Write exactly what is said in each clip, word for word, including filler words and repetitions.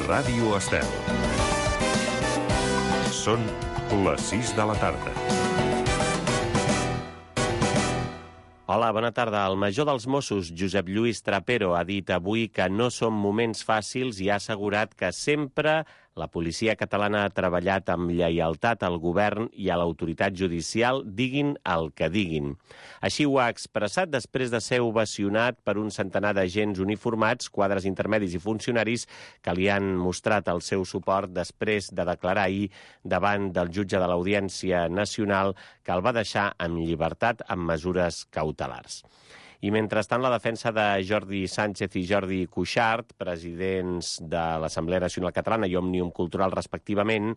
Ràdio Estel. Són les sis de la tarda. Hola, bona tarda. El major dels Mossos, Josep Lluís Trapero, ha dit avui que no són moments fàcils i ha assegurat que sempre la policia catalana ha treballat amb lleialtat al govern i a l'autoritat judicial, diguin el que diguin. Així ho ha expressat després de ser ovacionat per un centenar d'agents uniformats, quadres intermedis i funcionaris que li han mostrat el seu suport després de declarar ahir davant del jutge de l'Audiència Nacional que el va deixar en llibertat amb mesures cautelars. I mentrestant, la defensa de Jordi Sánchez i Jordi Cuixart, presidents de l'Assemblea Nacional Catalana i Òmnium Cultural respectivament,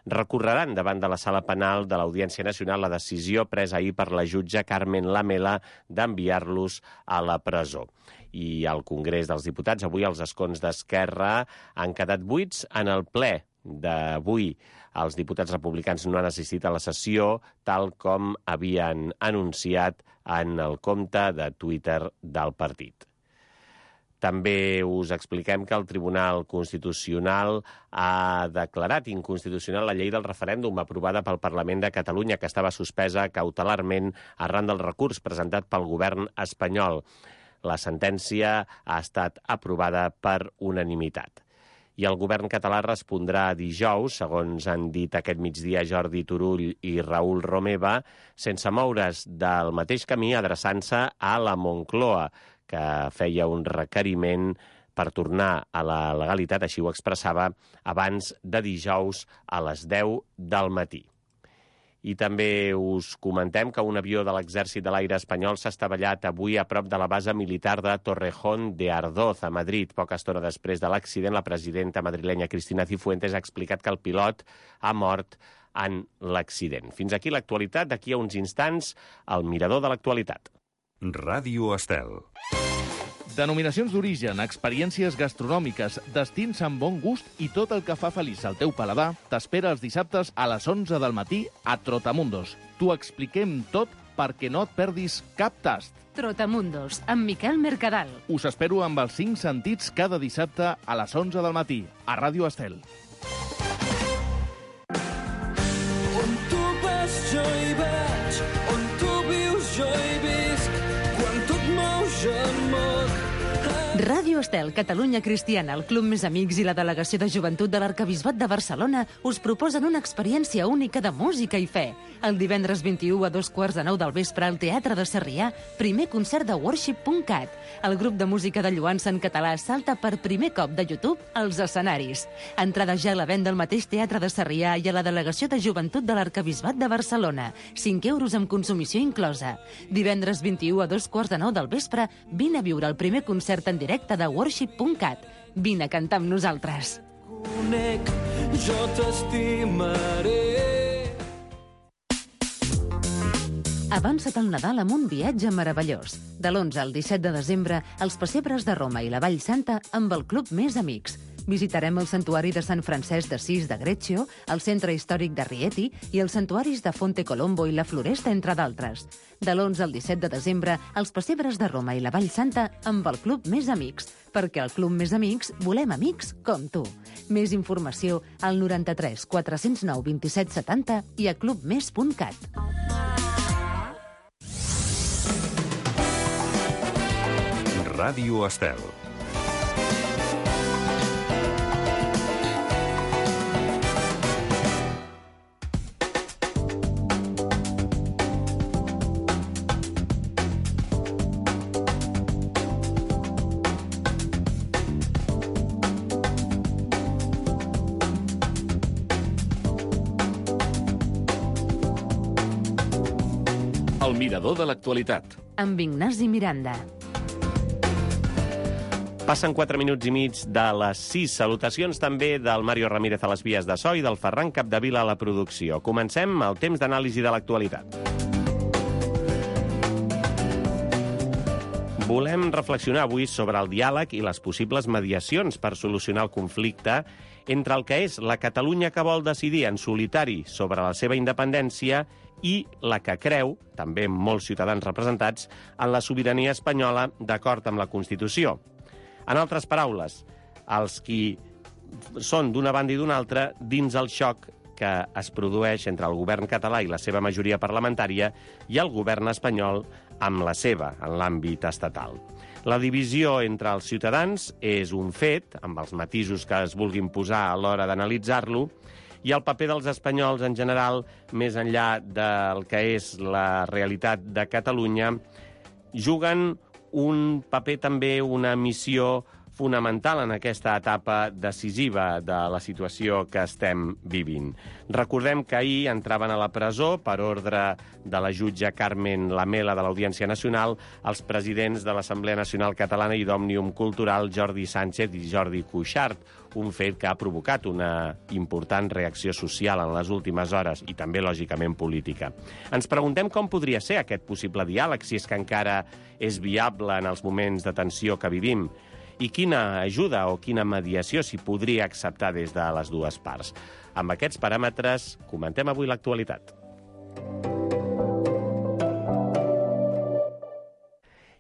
recorreran davant de la Sala Penal de l'Audiència Nacional la decisió presa ahir per la jutge Carmen Lamela d'enviar-los a la presó. I al Congrés dels Diputats, avui els escons d'Esquerra han quedat buits en el ple d'avui. Els diputats republicans no han assistit a la sessió, tal com havien anunciat en el compte de Twitter del partit. També us expliquem que el Tribunal Constitucional ha declarat inconstitucional la llei del referèndum aprovada pel Parlament de Catalunya, que estava suspesa cautelarment arran del recurs presentat pel govern espanyol. La sentència ha estat aprovada per unanimitat. I el govern català respondrà dijous, segons han dit aquest migdia Jordi Turull i Raül Romeva, sense moure's del mateix camí, adreçant-se a la Moncloa, que feia un requeriment per tornar a la legalitat, així ho expressava, abans de dijous a les deu del matí. I també us comentem que un avió de l'Exèrcit de l'Aire espanyol s'ha estavellat avui a prop de la base militar de Torrejón de Ardoz, a Madrid. Poca estona després de l'accident, la presidenta madrilenya Cristina Cifuentes ha explicat que el pilot ha mort en l'accident. Fins aquí l'actualitat. D'aquí a uns instants, el mirador de l'actualitat. Ràdio Estel. Denominacions d'origen, experiències gastronòmiques, destins amb bon gust i tot el que fa feliç al teu paladar t'espera els dissabtes a les onze del matí a Trotamundos. T'ho expliquem tot perquè no et perdis cap tast. Trotamundos, amb Miquel Mercadal. Us espero amb els cinc sentits cada dissabte a les onze del matí a Ràdio Estel. On tu vas jo hi vaig, on tu vius jo hi visc, quan tu et mous jo em moc. Ràdio Estel, Catalunya Cristiana, el Club Més Amics i la Delegació de Joventut de l'Arquebisbat de Barcelona us proposen una experiència única de música i fe. El divendres vint-i-u a dos quarts de nou del vespre al Teatre de Sarrià, primer concert de worship punt cat. El grup de música de lloança en català salta per primer cop de YouTube als escenaris. Entrada ja a la venda al mateix Teatre de Sarrià i a la Delegació de Joventut de l'Arquebisbat de Barcelona. cinc euros amb consumició inclosa. Divendres vint-i-u a dos quarts de nou del vespre, vine a viure el primer concert en directe de worship punt cat. Vine a cantar amb nosaltres. Conec, jo t'estimaré. Avança't al Nadal amb un viatge meravellós. De l'onze al disset de desembre, els pessebres de Roma i la Vall Santa amb el Club Més Amics. Visitarem el santuari de Sant Francesc d'Assís de Greccio, el centre històric de Rieti i els santuaris de Fonte Colombo i la Floresta, entre d'altres. De l'onze al disset de desembre, els pessebres de Roma i la Vall Santa amb el Club Més Amics, perquè al Club Més Amics volem amics com tu. Més informació al noranta-tres quatre-cents nou vint-i-set setanta i a clubmes punt cat. Ràdio Estel. El mirador de l'actualitat. Amb Ignasi Miranda. Passen quatre minuts i mig de les sis. Salutacions també del Mario Ramírez a les vies de so i del Ferran Capdevila a la producció. Comencem el temps d'anàlisi de l'actualitat. Volem reflexionar avui sobre el diàleg i les possibles mediacions per solucionar el conflicte entre el que és la Catalunya que vol decidir en solitari sobre la seva independència i la que creu, també molts ciutadans representats, en la sobirania espanyola d'acord amb la Constitució. En altres paraules, els qui són d'una banda i d'una altra dins el xoc que es produeix entre el govern català i la seva majoria parlamentària i el govern espanyol amb la seva, en l'àmbit estatal. La divisió entre els ciutadans és un fet, amb els matisos que es vulguin posar a l'hora d'analitzar-lo, i el paper dels espanyols en general, més enllà del que és la realitat de Catalunya, juguen un paper també, una missió fonamental en aquesta etapa decisiva de la situació que estem vivint. Recordem que ahir entraven a la presó, per ordre de la jutge Carmen Lamela de l'Audiència Nacional, els presidents de l'Assemblea Nacional Catalana i d'Òmnium Cultural, Jordi Sánchez i Jordi Cuixart, un fet que ha provocat una important reacció social en les últimes hores i també, lògicament, política. Ens preguntem com podria ser aquest possible diàleg, si és que encara és viable en els moments de tensió que vivim, i quina ajuda o quina mediació s'hi podria acceptar des de les dues parts. Amb aquests paràmetres, comentem avui l'actualitat.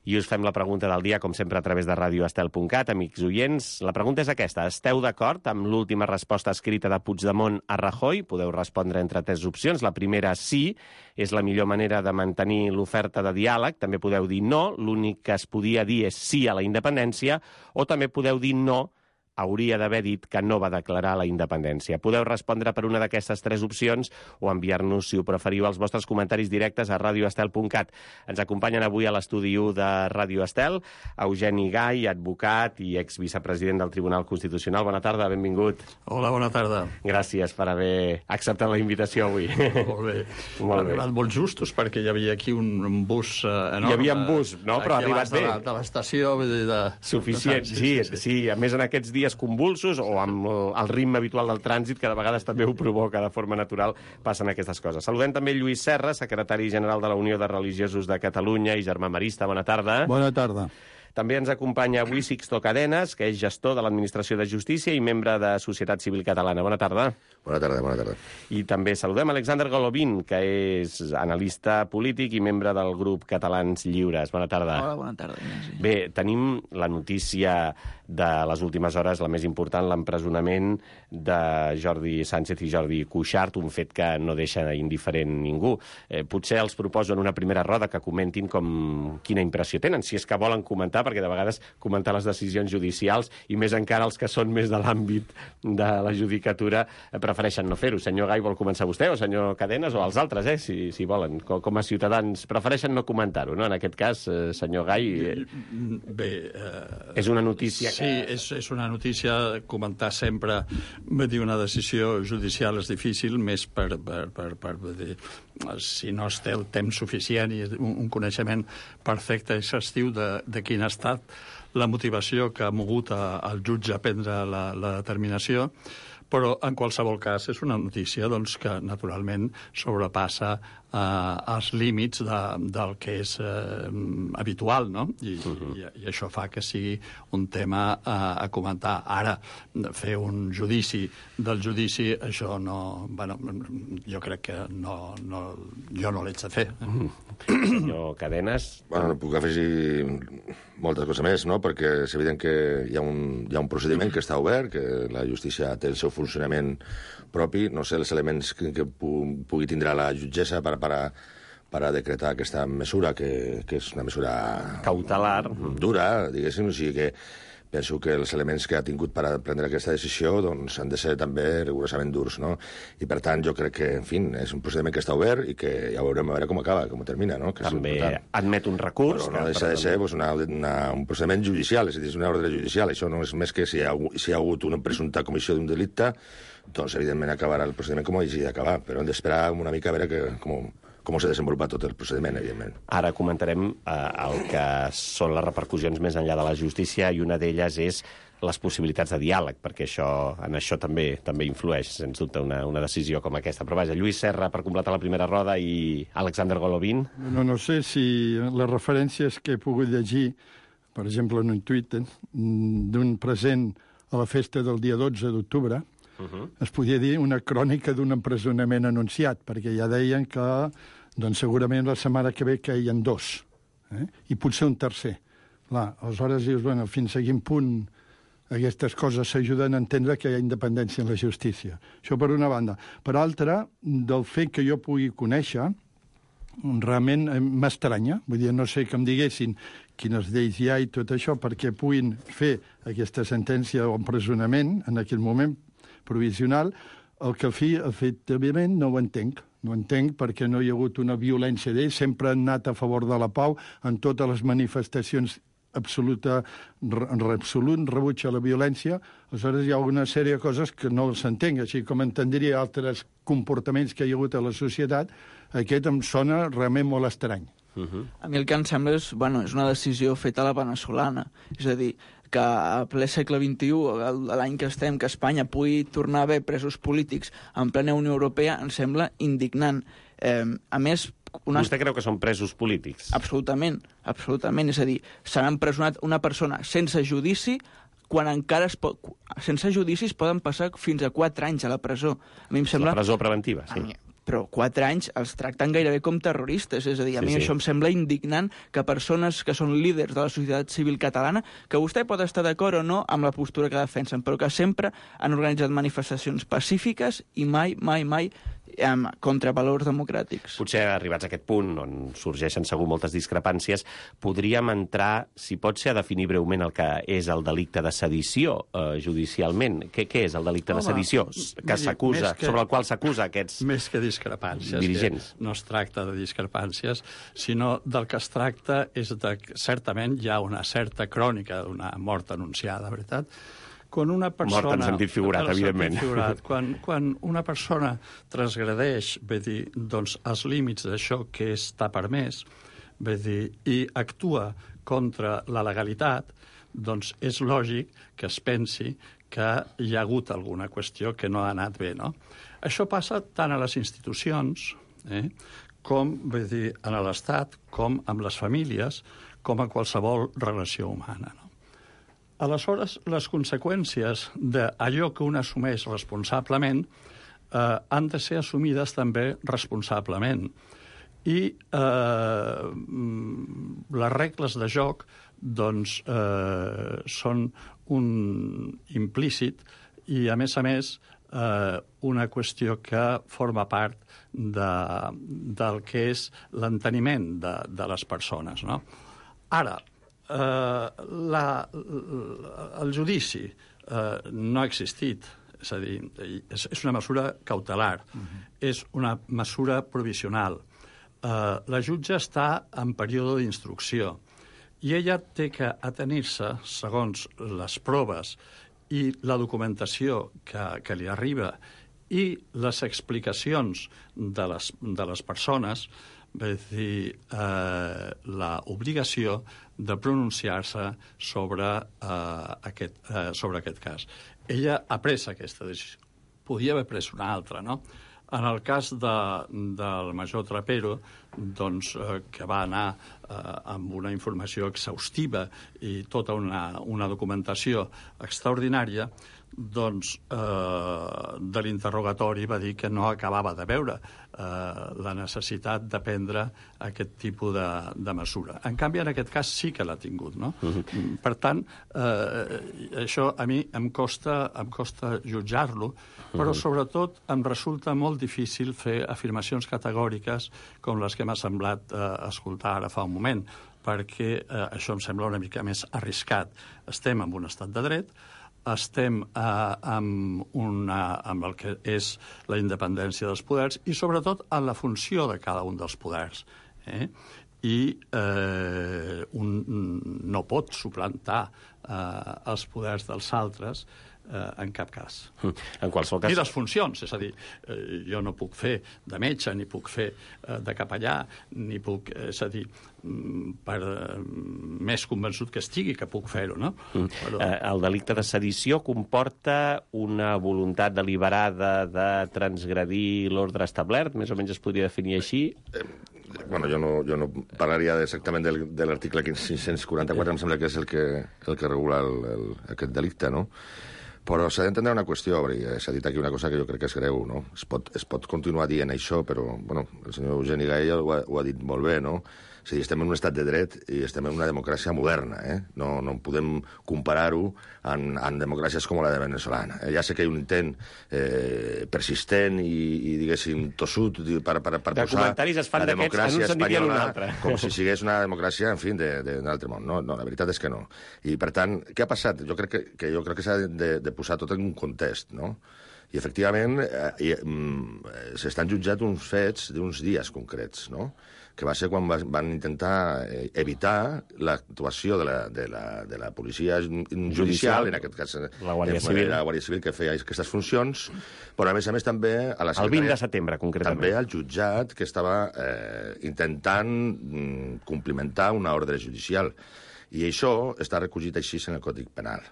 I us fem la pregunta del dia, com sempre, a través de radio estel punt cat. Amics oients, la pregunta és aquesta. Esteu d'acord amb l'última resposta escrita de Puigdemont a Rajoy? Podeu respondre entre tres opcions. La primera, sí, és la millor manera de mantenir l'oferta de diàleg. També podeu dir no, l'únic que es podia dir és sí a la independència, o també podeu dir no, hauria d'haver dit que no va declarar la independència. Podeu respondre per una d'aquestes tres opcions o enviar-nos, si ho preferiu, els vostres comentaris directes a radio estel punt cat. Ens acompanyen avui a l'estudi u de Radio Estel Eugeni Gai, advocat i exvicepresident del Tribunal Constitucional. Bona tarda, benvingut. Hola, bona tarda. Gràcies per haver acceptat la invitació avui. Molt bé. Molt ha bé. arribat molt justos perquè hi havia aquí un, un bus eh, enorme. Hi havia un bus, no? Però ha arribat bé. De la- de l'estació, vull dir, de... Suficient, sí, sí, sí. A més, en aquests dies convulsos o amb el, el ritme habitual del trànsit, que de vegades també ho provoca de forma natural, passen aquestes coses. Saludem també Lluís Serra, secretari general de la Unió de Religiosos de Catalunya i germà marista. Bona tarda. Bona tarda. També ens acompanya avui Sixto Cadenes, que és gestor de l'Administració de Justícia i membre de Societat Civil Catalana. Bona tarda. Bona tarda, bona tarda. I també saludem Alexander Golovin, que és analista polític i membre del grup Catalans Lliures. Bona tarda. Hola, bona tarda, Ignasi. Bé, tenim la notícia de les últimes hores, la més important, l'empresonament de Jordi Sánchez i Jordi Cuixart, un fet que no deixa indiferent ningú. Eh, potser els proposo en una primera roda que comentin com quina impressió tenen, si és que volen comentar, perquè de vegades comentar les decisions judicials, i més encara els que són més de l'àmbit de la judicatura, eh, prefereixen no fer-ho. Senyor Gai, vol començar vostè, o senyor Cadenes, o els altres, eh, si, si volen. Com, com a ciutadans prefereixen no comentar-ho, no? En aquest cas, eh, senyor Gai, eh, Bé... Eh, és una notícia que... Sí, és, és una notícia, comentar sempre, vull dir, una decisió judicial és difícil, més per, per, per, per vull dir, si no es té el temps suficient i un, un coneixement perfecte i exhaustiu de, de quina ha estat la motivació que ha mogut a, al jutge a prendre la, la determinació, però en qualsevol cas és una notícia doncs, que naturalment sobrepassa eh, els límits de, del que és eh, habitual, no? I, uh-huh. i, I això fa que sigui un tema eh, a comentar. Ara, fer un judici del judici, això no... Bueno, jo crec que no, no, jo no l'haig de fer. Uh-huh. Senyor Cadenes... Bueno, no puc afegir moltes coses més, no? Perquè és evident que hi ha, un, hi ha un procediment que està obert, que la justícia té el seu funcionament propi. No sé els elements que, que pu pugui tindre la jutgessa per, per, a, per a decretar aquesta mesura, que, que és una mesura... Cautelar. Dura, diguéssim, o sigui que penso que els elements que ha tingut per a prendre aquesta decisió doncs, han de ser també rigorosament durs, no? I, per tant, jo crec que, en fi, és un procediment que està obert i que ja veurem a veure com acaba, com termina, no? Que també admet un recurs. Però no deixa de ser pues, una, una, un procediment judicial, és a dir, és una ordre judicial. Això no és més que si hi ha, si hi ha hagut una presumpta comissió d'un delicte, doncs, evidentment, acabarà el procediment com hagi d'acabar. Però hem d'esperar una mica a veure que, com, com s'ha desenvolupat tot el procediment, evidentment. Ara comentarem eh, el que són les repercussions més enllà de la justícia, i una d'elles és les possibilitats de diàleg, perquè això, en això també també influeix, sens dubte, una, una decisió com aquesta. Però vaja, Lluís Serra, per completar la primera roda, i Alexander Golovin. No, no sé si les referències que he pogut llegir, per exemple, en un tuit d'un present a la festa del dia dotze d'octubre, uh-huh. es podia dir una crònica d'un empresonament anunciat, perquè ja deien que doncs, segurament la setmana que ve caien dos, eh? I potser un tercer. Clar, aleshores dius, bueno, fins a quin punt aquestes coses s'ajuden a entendre que hi ha independència en la justícia. Això per una banda. Per altra, del fet que jo pugui conèixer, realment m'estranya. Vull dir, no sé que em diguessin quines lleis hi ha i tot això perquè puguin fer aquesta sentència d'empresonament en aquell moment provisional, el que al fi, efectivament, no ho entenc. No ho entenc perquè no hi ha hagut una violència d'ells, sempre han anat a favor de la pau en totes les manifestacions absoluta, absolut rebuig a la violència. Aleshores hi ha una sèrie de coses que no s'entenc, així com entendria altres comportaments que hi ha hagut a la societat. Aquest em sona realment molt estrany. Uh-huh. A mi el que em sembla és, bueno, és una decisió feta a la veneçolana. És a dir, que a ple segle vint-i-u, l'any que estem, que Espanya pugui tornar a haver presos polítics en plena Unió Europea, em sembla indignant. Eh, a més, una... Vostè creu que són presos polítics? Absolutament, absolutament. És a dir, s'han empresonat una persona sense judici quan encara es pot... sense judicis poden passar fins a quatre anys a la presó. A mi em sembla... La presó preventiva, sí. Mi... Però quatre anys els tracten gairebé com terroristes. És a dir, a sí, mi sí. Això em sembla indignant que persones que són líders de la societat civil catalana, que vostè pot estar d'acord o no amb la postura que defensen, però que sempre han organitzat manifestacions pacífiques i mai, mai, mai amb, contra valors democràtics. Potser arribats a aquest punt, on sorgeixen segur moltes discrepàncies, podríem entrar, si pot ser, a definir breument el que és el delicte de sedició eh, judicialment. Què, què és el delicte Home, de sedició que s'acusa, sobre el qual s'acusa aquests més que discrepàncies, dirigents? No es tracta de discrepàncies, sinó del que es tracta és de... Certament hi ha una certa crònica d'una mort anunciada, veritat? Quan una persona... Mort en sentit figurat, evidentment. Figurat, quan, quan una persona transgredeix, bé dir, doncs, els límits d'això que està permès, bé dir, i actua contra la legalitat, doncs és lògic que es pensi que hi ha hagut alguna qüestió que no ha anat bé, no? Això passa tant a les institucions, eh, com, bé dir, a l'Estat, com amb les famílies, com a qualsevol relació humana, no? Aleshores, les conseqüències d'allò que un assumeix responsablement eh, han de ser assumides també responsablement. I eh, les regles de joc doncs, eh, són un implícit i, a més a més, eh, una qüestió que forma part de, del que és l'enteniment de, de les persones, no? Ara, Uh, la, el judici uh, no ha existit, és a dir, és, és una mesura cautelar, uh-huh. És una mesura provisional. Uh, la jutge està en període d'instrucció i ella té que atenir-se, segons les proves i la documentació que, que li arriba i les explicacions de les, de les persones, és dir, eh, l'obligació de pronunciar-se sobre, eh, aquest, eh, sobre aquest cas. Ella ha pres aquesta decisió. Podia haver pres una altra, no? En el cas de, del major Trapero, doncs, eh, que va anar eh, amb una informació exhaustiva i tota una, una documentació extraordinària, doncs eh, de l'interrogatori va dir que no acabava de veure eh, la necessitat de prendre aquest tipus de, de mesura. En canvi, en aquest cas sí que l'ha tingut, no? Uh-huh. Per tant, eh, això a mi em costa, em costa jutjar-lo, però uh-huh. sobretot em resulta molt difícil fer afirmacions categòriques com les que m'ha semblat eh, escoltar ara fa un moment, perquè eh, això em sembla una mica més arriscat. Estem en un estat de dret, estem eh, amb, una, amb el que és la independència dels poders i, sobretot, en la funció de cada un dels poders. Eh? I eh, un no pot suplantar eh, els poders dels altres eh, en cap cas. En qualsevol cas... Ni les funcions, és a dir, eh, jo no puc fer de metge, ni puc fer eh, de capellà, ni puc, és a dir, per eh, més convençut que estigui que puc fer-ho, no? Mm. Però... Eh, el delicte de sedició comporta una voluntat deliberada de transgredir l'ordre establert? Més o menys es podria definir així? Eh, bueno, jo no, jo no parlaria exactament del, de l'article cinc-cents quaranta-quatre, em sembla que és el que, el que regula el, el, aquest delicte, no? Però s'ha d'entendre una qüestió, perquè s'ha dit aquí una cosa que jo crec que és greu, no? Es pot, es pot continuar dient això, però, bueno, el senyor Eugeni Gaella ho ha, ho ha dit molt bé, no? És a dir, estem en un estat de dret i estem en una democràcia moderna. Eh? No, no podem comparar-ho amb, amb democràcies com la de venezolana. Eh? Ja sé que hi ha un intent eh, persistent i, i diguéssim, tossut per, per, per de posar la democràcia espanyola com si sigués una democràcia, en fi, d'un altre món. No, no, la veritat és que no. I, per tant, què ha passat? Jo crec que, que, jo crec que s'ha de, de posar tot en un context, no? I, efectivament, eh, eh, s'estan jutjat uns fets d'uns dies concrets, no? Que va ser quan va, van intentar eh, evitar l'actuació de, la, de, la, de la policia judicial, judicial, en aquest cas la Guàrdia Civil, la Guàrdia Civil que feia aquestes funcions, però, a més a més, també a la el vint de setembre, concretament. També al jutjat que estava eh, intentant mm, complimentar una ordre judicial. I això està recollit així en el Codi Penal.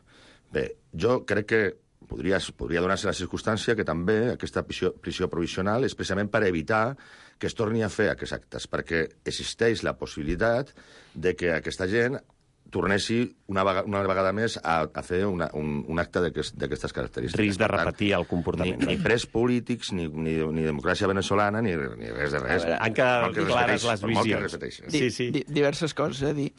Bé, jo crec que Podria, podria donar-se la circumstància que també aquesta prisió, prisió provisional és precisament per evitar que es torni a fer aquests actes, perquè existeix la possibilitat de que aquesta gent tornessi una, vegada, una vegada més a, a fer una, un, un acte d'aquestes característiques. Risc de repetir el comportament. Ni, ni pres polítics, ni, ni, ni democràcia venezolana, ni, ni res de res. Han quedat clares les visions. Sí, sí. Di, diverses coses, eh? Dir,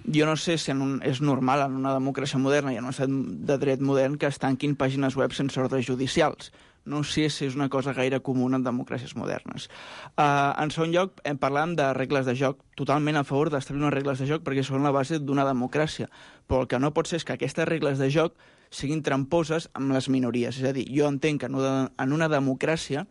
jo no sé si en un, és normal en una democràcia moderna i en un estat de dret modern que es tanquin pàgines web sense ordres judicials. No sé si és una cosa gaire comuna en democràcies modernes. Uh, en segon lloc, hem parlat de regles de joc. Totalment a favor d'establir unes regles de joc perquè són la base d'una democràcia. Però el que no pot ser és que aquestes regles de joc siguin tramposes amb les minories. És a dir, jo entenc que en una democràcia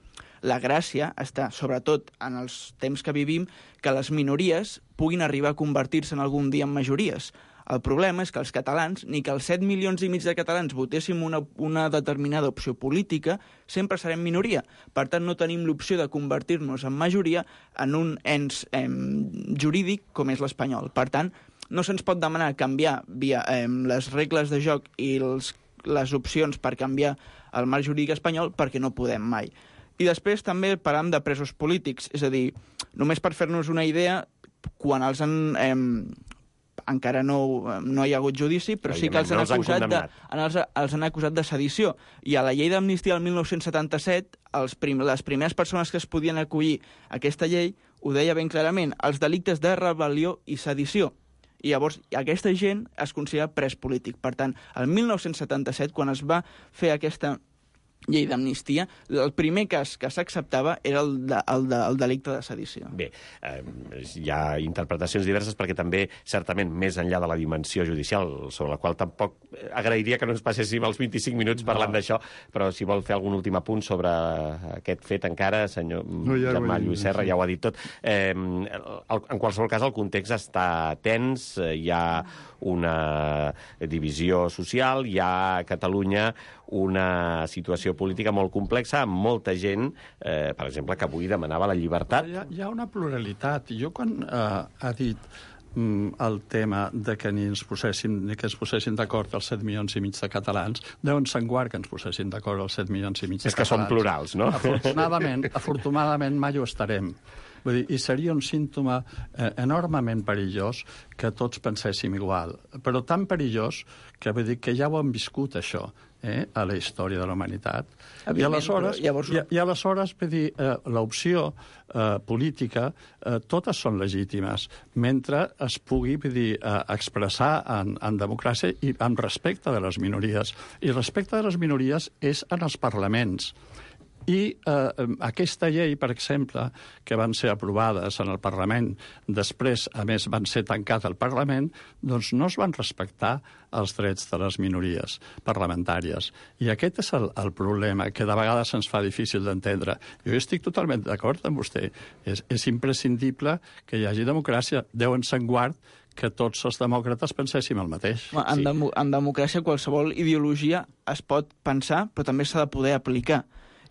la gràcia està, sobretot en els temps que vivim, que les minories puguin arribar a convertir-se en algun dia en majories. El problema és que els catalans, ni que els set milions i mig de catalans votéssim una, una determinada opció política, sempre serem minoria. Per tant, no tenim l'opció de convertir-nos en majoria en un ens eh, jurídic com és l'espanyol. Per tant, no se'ns pot demanar canviar via eh, les regles de joc i els, les opcions per canviar el marc jurídic espanyol perquè no podem mai. I després també parlam de presos polítics, és a dir, només per fer-nos una idea, quan els han... Eh, encara no, no hi ha hagut judici, però sí que els han, no acusat de, els, els han acusat de sedició. I a la llei d'amnistia del mil nou-cents setanta-set, els prim, les primeres persones que es podien acollir a aquesta llei ho deia ben clarament, els delictes de rebel·lió i sedició. I llavors aquesta gent es considera pres polític. Per tant, el mil nou-cents setanta-set, quan es va fer aquesta llei d'amnistia, el primer cas que s'acceptava era el, de, el, de, el delicte de sedició. Bé, eh, hi ha interpretacions diverses perquè també, certament, més enllà de la dimensió judicial, sobre la qual tampoc agrairia que no ens passéssim els vint-i-cinc minuts parlant no. d'això, però si vol fer algun últim apunt sobre aquest fet encara, senyor no, ja Germà Lluís Serra, sí. ja ho ha dit tot. Eh, en qualsevol cas, el context està tens, hi ha una divisió social, hi ha a Catalunya una situació política molt complexa, amb molta gent, eh, per exemple, que avui demanava la llibertat. Hi ha, hi ha una pluralitat. Jo quan eh, ha dit mm, el tema de que ni ens posessin, ni que ens posessin d'acord els set milions i mig de catalans, deuen ser guard que ens posessin d'acord els set milions i mig de catalans. És que són plurals, no? Afortunadament, afortunadament mai ho estarem. Vull dir, i seria un símptoma eh, enormement perillós que tots penséssim igual, però tan perillós que, vull dir, que ja ho hem viscut, això, eh, a la història de la humanitat. I aleshores, llavors... i, i aleshores vull dir, eh, l'opció eh, política, eh, totes són legítimes, mentre es pugui vull dir, eh, expressar en, en democràcia i en respecte de les minories. I respecte de les minories és en els parlaments. I eh, aquesta llei, per exemple, que van ser aprovades en el Parlament, després, a més, van ser tancats al Parlament, doncs no es van respectar els drets de les minories parlamentàries. I aquest és el, el problema, que de vegades se'ns fa difícil d'entendre. Jo estic totalment d'acord amb vostè. És, és imprescindible que hi hagi democràcia. Deuen ser en guard que tots els demòcrates penséssim el mateix. En, sí. dem en democràcia qualsevol ideologia es pot pensar, però també s'ha de poder aplicar.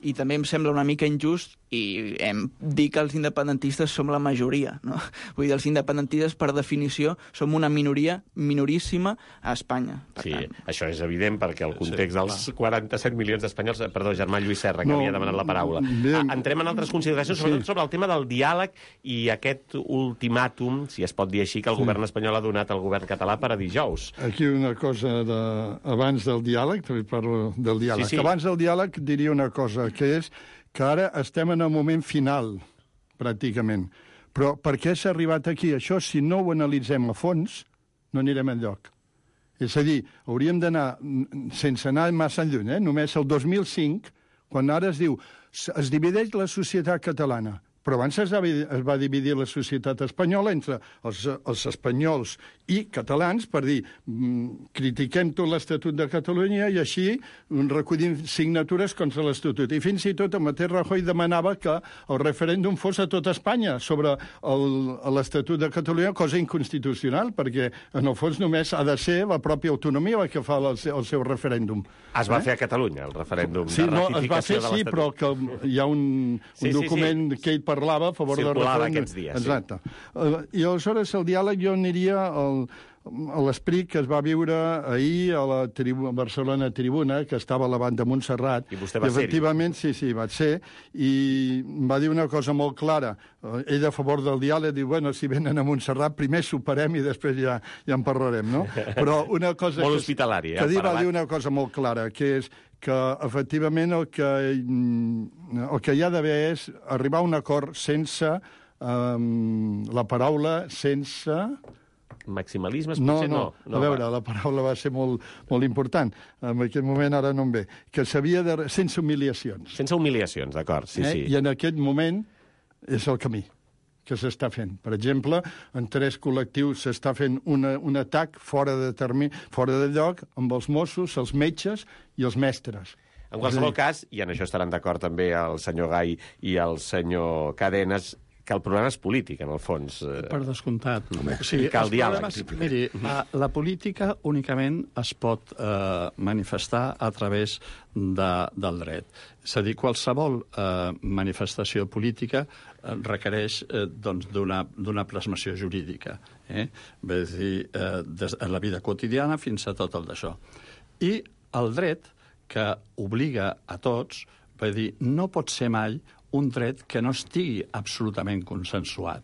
I també em sembla una mica injust i em dir que els independentistes som la majoria, no? Vull dir, els independentistes, per definició, som una minoria minoríssima a Espanya. Per sí, tant... això és evident, perquè el context sí, dels quaranta-set milions d'espanyols... Perdó, Germà Lluís Serra, que no, havia demanat la paraula. Bien. Entrem en altres consideracions, sobretot sí. sobre el tema del diàleg i aquest ultimàtum, si es pot dir així, que el sí. govern espanyol ha donat al govern català per a dijous. Aquí una cosa de... abans del diàleg, també parlo del diàleg. Sí, sí. Abans del diàleg diria una cosa, que és que ara estem en el moment final, pràcticament, Però per què s'ha arribat aquí? Això, si no ho analitzem a fons, no anirem enlloc. És a dir, hauríem d'anar, sense anar massa lluny, eh? només el dos mil cinc, quan ara es diu es divideix la societat catalana, però abans es va, es va dividir la societat espanyola entre els, els espanyols i catalans per dir mm, critiquem tot l'Estatut de Catalunya i així recollim signatures contra l'Estatut. I fins i tot el mateix Rajoy demanava que el referèndum fos a tota Espanya sobre l'Estatut de Catalunya, cosa inconstitucional, perquè en el fons només ha de ser la pròpia autonomia la que fa el seu, el seu referèndum. Es va eh? fer a Catalunya, el referèndum sí, de no, ratificació es va fer, de l'Estatut. sí, però que hi ha un, un sí, sí, document sí. que ell parlava a favor del Circulava referèndum. aquests dies, Exacte. Sí. Uh, I aleshores el diàleg jo aniria al, a l'esperit que es va viure ahir a la tribu, a Barcelona Tribuna, que estava a la banda Montserrat. I vostè va I ser-hi. efectivament, sí, sí, vaig ser, i va dir una cosa molt clara. Uh, ell a favor del diàleg diu, bueno, si venen a Montserrat, primer superem i després ja, ja en parlarem, no? Però una cosa... Molt que, hospitalari, eh? Que va Parlat. dir una cosa molt clara, que és que efectivament el que, el que hi ha d'haver és arribar a un acord sense um, la paraula, sense... Maximalismes, No, potser no, no. no a veure, va. la paraula va ser molt, molt important. En aquest moment ara no em ve. Que s'havia de... sense humiliacions. Sense humiliacions, d'acord, sí, eh? sí. I en aquest moment és el camí que s'està fent. Per exemple, en tres col·lectius s'està fent una, un atac fora de, termi, fora de lloc amb els Mossos, els metges i els mestres. En qualsevol cas, i en això estaran d'acord també el senyor Gai i el senyor Cadenes, que el problema és polític, en el fons. Per descomptat. Home, o sigui, cal els diàleg. problemes- Miri, la, la política únicament es pot eh, manifestar a través de, del dret. És a dir, qualsevol eh, manifestació política eh, requereix eh, doncs, d'una plasmació jurídica. Eh? És a dir, eh, des, en la vida quotidiana fins a tot el d'això. I el dret, que obliga a tots, vull dir, no pot ser mai un dret que no estigui absolutament consensuat.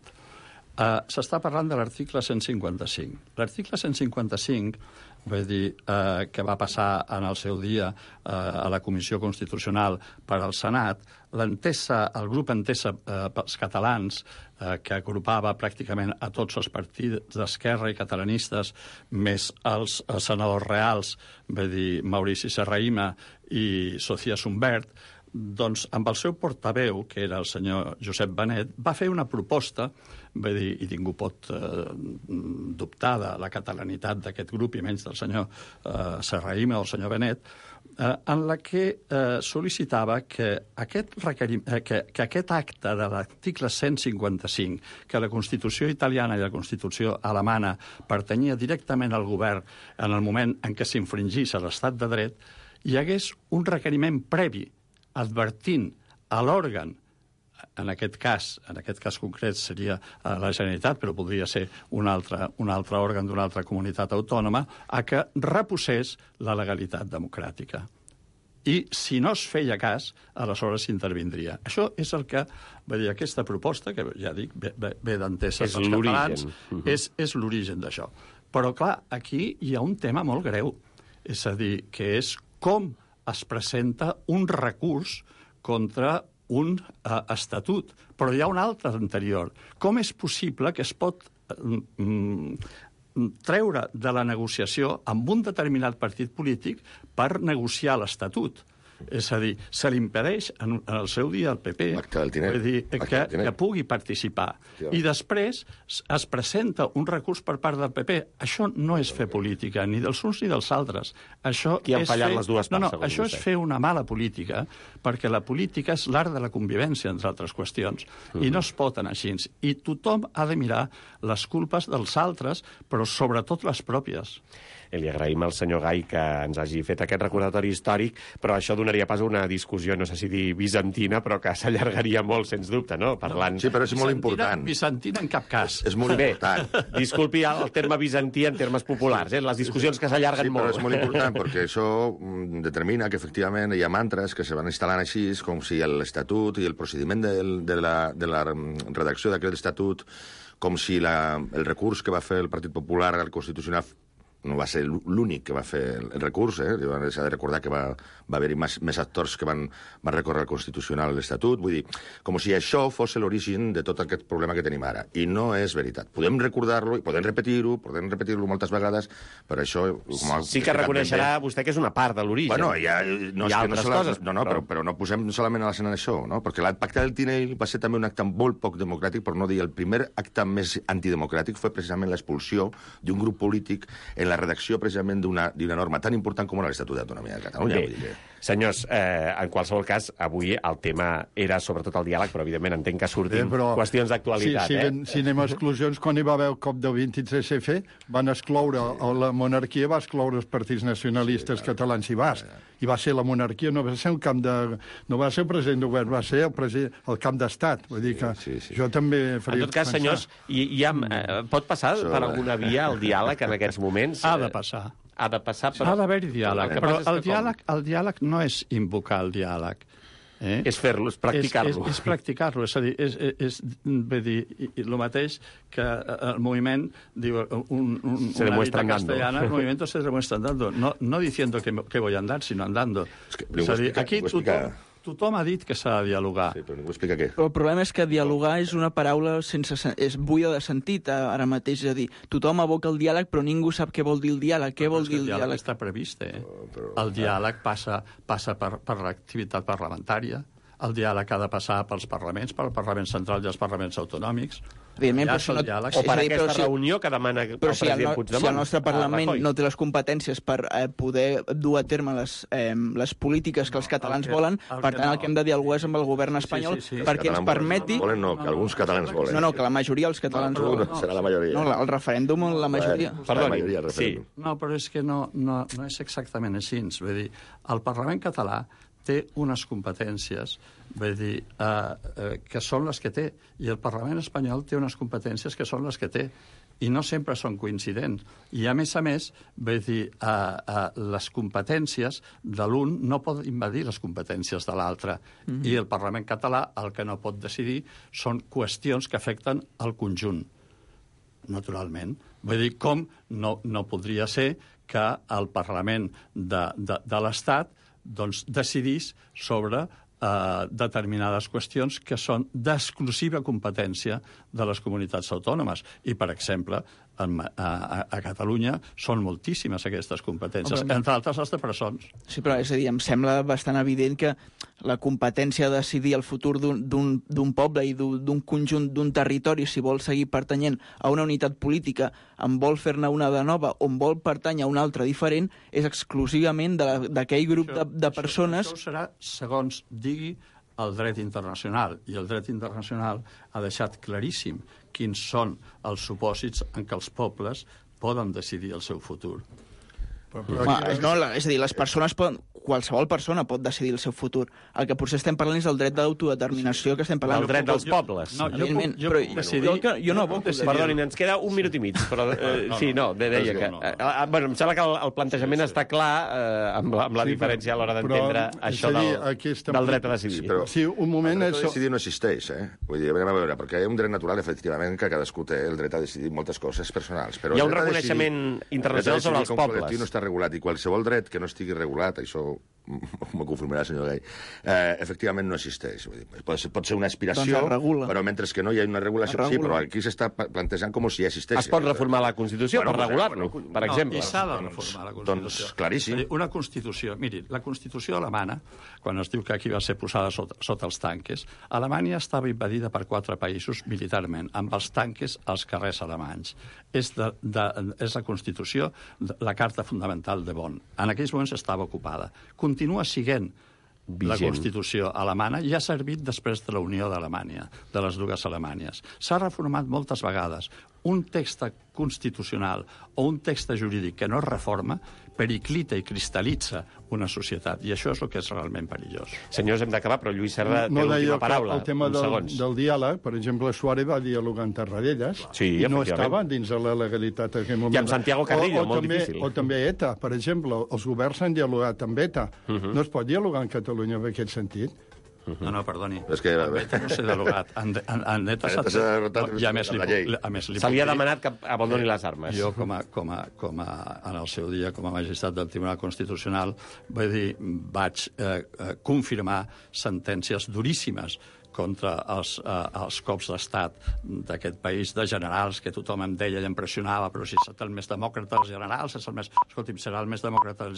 Uh, S'està parlant de l'article cent cinquanta-cinc. L'article cent cinquanta-cinc, vull dir, uh, que va passar en el seu dia uh, a la Comissió Constitucional per al Senat, l'entesa, el grup Entesa uh, pels catalans, uh, que agrupava pràcticament a tots els partits d'esquerra i catalanistes, més els, els senadors reals, vull dir, Maurici Serrahima i Sofia Sumbert, doncs amb el seu portaveu, que era el senyor Josep Benet, va fer una proposta, vull dir, i ningú pot eh, dubtar de la catalanitat d'aquest grup, i menys del senyor eh, Serrahima o el senyor Benet, eh, en la que eh, sol·licitava que aquest, requerim, eh, que, que aquest acte de l'article cent cinquanta-cinc, que la Constitució italiana i la Constitució alemana pertanyia directament al govern en el moment en què s'infringís a l'estat de dret, hi hagués un requeriment previ advertint a l'òrgan, en aquest cas, en aquest cas concret seria la Generalitat, però podria ser un altre, un altre òrgan d'una altra comunitat autònoma, a que reposés la legalitat democràtica. I si no es feia cas, aleshores s'intervindria. Això és el que, vull dir, aquesta proposta, que ja dic, ve, ve d'Entesa És pels catalans, l'origen. és, és l'origen d'això. Però, clar, aquí hi ha un tema molt greu. És a dir, que és com es presenta un recurs contra un uh, estatut. Però hi ha un altre anterior. Com és possible que es pot mm, treure de la negociació amb un determinat partit polític per negociar l'estatut? És a dir, se li impedeix en, en el seu dia al P P vull dir, que, que pugui participar. I després es presenta un recurs per part del P P. Això no és fer política, ni dels uns ni dels altres. Això Qui han és fallat fer... les dues parts, no, no, segons això vostè. és fer una mala política, perquè la política és l'art de la convivència, entre altres qüestions, mm-hmm. i no es pot anar així. I tothom ha de mirar les culpes dels altres, però sobretot les pròpies. I li agraïm al senyor Gai que ens hagi fet aquest recordatori històric, però això donaria pas a una discussió, no sé si dir bizantina, però que s'allargaria molt, sens dubte, no? Parlant... Sí, però és molt important. Bizantina en cap cas. És molt Bé, important. disculpi el terme bizantí en termes populars, eh? Les discussions que s'allarguen Sí, molt. però és molt important, perquè això mm, determina que, efectivament, hi ha mantres que se van instal·lant així, com si l'Estatut i el procediment del, de, la, de la redacció d'aquest Estatut, com si la, el recurs que va fer el Partit Popular al Constitucional no va ser l'únic que va fer el recurs, eh? S'ha de recordar que va, va haver-hi més, més actors que van, van recórrer al Constitucional l'Estatut, vull dir, com si això fos l'origen de tot aquest problema que tenim ara. I no és veritat. Podem recordar-lo, i podem repetir-ho, podem repetir-lo moltes vegades, però això... Com sí que reconeixerà bé, vostè que és una part de l'origen. Bueno, ja, no, hi ha és que altres no coses. No, no, però, però no posem solament a l'escena això, no? Perquè el pacte del Tinell va ser també un acte molt poc democràtic, per no dir el primer acte més antidemocràtic, fue precisament l'expulsió d'un grup polític en la redacció precisament d'una norma tan important com l'Estatut d'Autonomia de Catalunya. Bé, vull dir que... Senyors, eh, en qualsevol cas, avui el tema era sobretot el diàleg, però evidentment entenc que surtin eh, però, qüestions d'actualitat. Sí, sí, eh? Si anem a exclusions, quan hi va haver el cop del vint-i-tres F, van excloure, la monarquia va excloure els partits nacionalistes sí, catalans i bascs, i va ser la monarquia, no va ser un camp de... no va ser el president de govern, va ser el, president, el camp d'estat. Vull dir que sí, sí, sí. jo també faria... En tot cas, pensar... senyors, i, i amb, eh, pot passar so, per alguna via el diàleg en aquests moments? Ha de passar. Ha de passar per... Ha d'haver-hi diàleg, però el diàleg, el diàleg no és invocar el diàleg. Eh? És fer-lo, és practicar-lo. És, és, és practicar-lo, és a dir, és, és, és dir, el mateix que el moviment, diu, un, un, se una dita andando. castellana, el movimiento se demuestra andando. No, no diciendo que, que voy a andar, sino andando. Es que, és a dir, aquí tothom... Tothom ha dit que s'ha de dialogar. Sí, però ningú explica què. Però el problema és que dialogar és una paraula sense... és buida de sentit ara mateix. És a dir, tothom aboca el diàleg, però ningú sap què vol dir el diàleg. Què vol dir el diàleg? El diàleg està previst, eh? El diàleg passa, passa per, per l'activitat parlamentària. El diàleg ha de passar pels parlaments, pel Parlament Central i els parlaments autonòmics. Evidentment, ja però si no... diàleg. O per dir, aquesta si... reunió que demana el però si president el no... Puigdemont. Si el nostre Parlament no té les competències per eh, poder dur a terme les, eh, les polítiques que els catalans el que, volen, el per que tant, no. el que hem de dialogar és amb el govern espanyol sí, sí, sí. perquè ens permeti... Volen, no, que alguns catalans volen. No, no, que la majoria dels catalans no, volen. no, serà la majoria. No, el referèndum, la majoria. Bueno, Perdoni, la majoria, el referèndum. sí. No, però és que no, no, no és exactament així. Vull dir, el Parlament català té unes competències, vull dir, eh, eh, que són les que té, i el Parlament espanyol té unes competències que són les que té, i no sempre són coincidents. I, a més a més, vull dir, eh, eh, les competències de l'un no poden invadir les competències de l'altre, mm-hmm. i el Parlament català el que no pot decidir són qüestions que afecten el conjunt, naturalment. Vull dir, com no, no podria ser que el Parlament de, de, de l'Estat doncs, decidís sobre eh, determinades qüestions que són d'exclusiva competència de les comunitats autònomes. I, per exemple, en, a, a Catalunya són moltíssimes aquestes competències, Home, entre altres les de presons. Sí, però és a dir, em sembla bastant evident que la competència de decidir el futur d'un poble i d'un conjunt, d'un territori, si vol seguir pertanyent a una unitat política, en vol fer-ne una de nova, on vol pertànyer a una altra diferent, és exclusivament d'aquell grup això, de, de persones... Això, això serà, segons digui, el dret internacional. I el dret internacional ha deixat claríssim quins són els supòsits en què els pobles poden decidir el seu futur. Però, però Ma, aquí... no, és a dir, les persones poden... Qualsevol persona pot decidir el seu futur. El que potser estem parlant és del dret d'autodeterminació que estem parlant. El dret dels pobles. No, jo puc, jo però puc decidir... Jo, jo, jo no puc decidir... Perdoni, ens queda un minut i mig, però eh, no, no, sí, no, de, deia no, que... no, no. Eh, bueno, em sembla que el, el plantejament sí, sí. està clar eh, amb la, amb la Sí, diferència a l'hora però- d'entendre però, això és a dir, del, aquí estem- del dret a decidir. Sí, però- Sí, un moment... El dret és... a decidir no existeix, eh? Vull dir, a veure, a veure, perquè hi ha un dret natural, efectivament, que cadascú té el dret a decidir moltes coses personals. Però Hi ha el un dret a reconeixement decidir- internacional el dret a decidir sobre els com pobles. col·lectiu no està regulat, i qualsevol dret que no estigui regulat, això m'ho confirmarà, senyor Gai, eh, efectivament no existeix. Vull dir, pot, ser, pot ser una aspiració, Doncs es regula. però mentre que no hi ha una regulació... Es Sí, regula. però aquí s'està pa- plantejant com si ja existeix. Es pot reformar la Constitució Bueno, per pues, regular-lo, bueno, per exemple. No, i s'ha de reformar la Constitució. Doncs claríssim. És a dir, una Constitució... Miri, la Constitució alemana, quan es diu que aquí va ser posada sota, sota els tanques, Alemanya estava invadida per quatre països militarment, amb els tanques als carrers alemanys. És, de, de, és la Constitució, de, la Carta Fundamental de Bonn. En aquells moments estava ocupada. Continua sent la Vigent. Constitució alemana i ha servit després de la Unió d'Alemanya, de les dues Alemanyes. S'ha reformat moltes vegades. Un text constitucional o un text jurídic que no es reforma periclita i cristal·litza una societat, i això és el que és realment perillós. Senyors, hem d'acabar, però Lluís Serra No té deia l'última que paraula. el tema uns del, segons. del diàleg, per exemple, Suárez va dialogar amb Tarradellas Sí, i no efectivament. estava dins de la legalitat en aquell moment. I amb Santiago Carrillo, o, o molt també, difícil. O també ETA, per exemple, els governs han dialogat amb ETA. Uh -huh. No es pot dialogar en Catalunya en aquest sentit. No, no, perdoni. És que... En Beta no s'ha derogat. En, en, en Beta s'ha... I a més, li, la llei. a més li Se li ha puc dir- demanat que abandoni les armes. Jo, com a, com a, com a, en el seu dia, com a magistrat del Tribunal Constitucional, vull dir, vaig eh, eh, confirmar sentències duríssimes contra els, eh, els cops d'estat d'aquest país, de generals, que tothom em deia i em pressionava, però si és el més demòcrata dels generals, és el més... Escolti'm, serà el més demòcrata dels